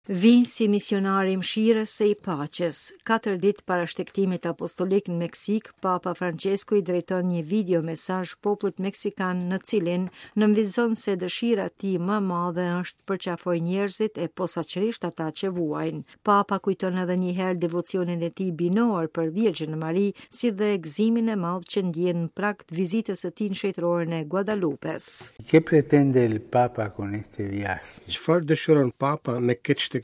Vij si misionar i mëshirës e i paqes. Katër ditë para shtegtimit apostolik në Meksikë, Papa Françesku i drejton një video mesazh popullit meksikan në cilin nënvizon se dëshira e tij më e madhe është të përqafojë njerëzit e posaçërisht ata që vuajnë. Papa kujton edhe një herë devocionin e tij binor për Virgjën Mari, si dhe gëzimin e madh që ndjen në prag të vizitës së tij në shenjtëroren e Guadalupes. ¿Qué pretende el Papa con este viaje? Çfarë dëshiron Papa me këtë shtegtim?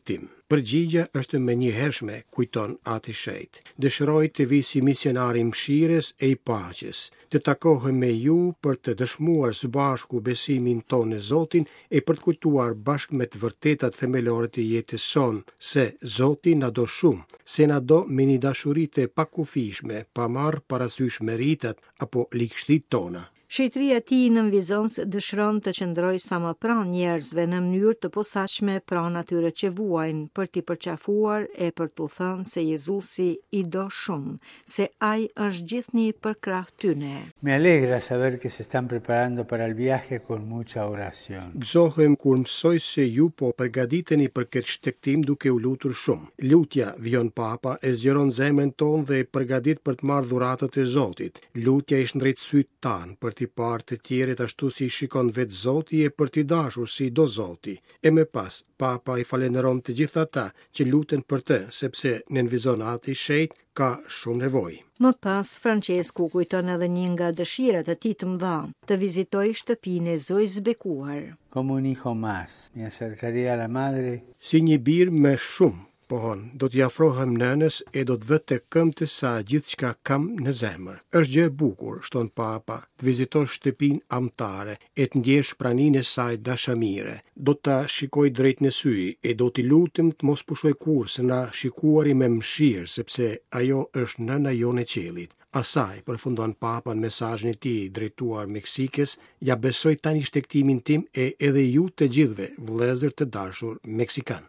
Përgjigja është e menjëhershme, kujton Ati i Shenjtë. Dëshiroj të vij si misionar i mëshirës e i paqes, të takohem me ju për të dëshmuar së bashku besimin tonë në Zotin e për të kujtuar bashkë me të vërtetat themelore të jetës sonë, se Zoti na do shumë, se na do me një dashuri të pakufishme, pa marrë parasysh meritat apo ligështitë tona. Shenjtëria e Tij nënvizon se dëshiron të qëndrojë sa më pranë njerëzve në mënyrë të posaçme pranë atyre që vuajnë, për t'i përqafuar e për t'u thënë se Jezusi i do shumë, se ai është gjithnjë përkrah tyne. Me alegra saber que se están preparando para el viaje con mucha oración. Gëzohem kur mësoj se ju po përgatiteni për këtë shtegtim duke u lutur shumë. Lutja, vijon Papa, e zgjeron zemrën tonë dhe e përgatit për të marrë dhuratat e Zotit. Lutja i shndrit sytë tanë për t'i parë të tjerët ashtu si i shikon vetë Zoti e për t'i dashur si i do Zoti. E më pas, Papa i falënderon të gjithë ata që luten për të, sepse, nënvizon Ati i Shenjtë, ka shumë nevojë. Më pas, Françesku kujton edhe një nga dëshirat e tij të mëdha, të vizitojë shtëpinë e Zojës së Bekuar. Como un hijo más, me acercaré a la madre. Si një bir më shumë, pohon, do t'i afrohem nënës e do të vë te këmbët e saj gjithçka kam në zemër. Është gjë e bukur, shton Papa, të vizitosh shtëpinë amtare e të ndjesh praninë e saj dashamire. Do ta shikoj drejt në sy e do t'i lutem të mos pushojë kurrë së na shikuari me mëshirë, sepse ajo është nëna jonë e qiellit. Asaj, përfundon Papa në mesazhin e tij drejtuar Meksikës, ia besoj tani shtegtimin tim e edhe ju të gjithëve, vëllezër të dashur meksikanë.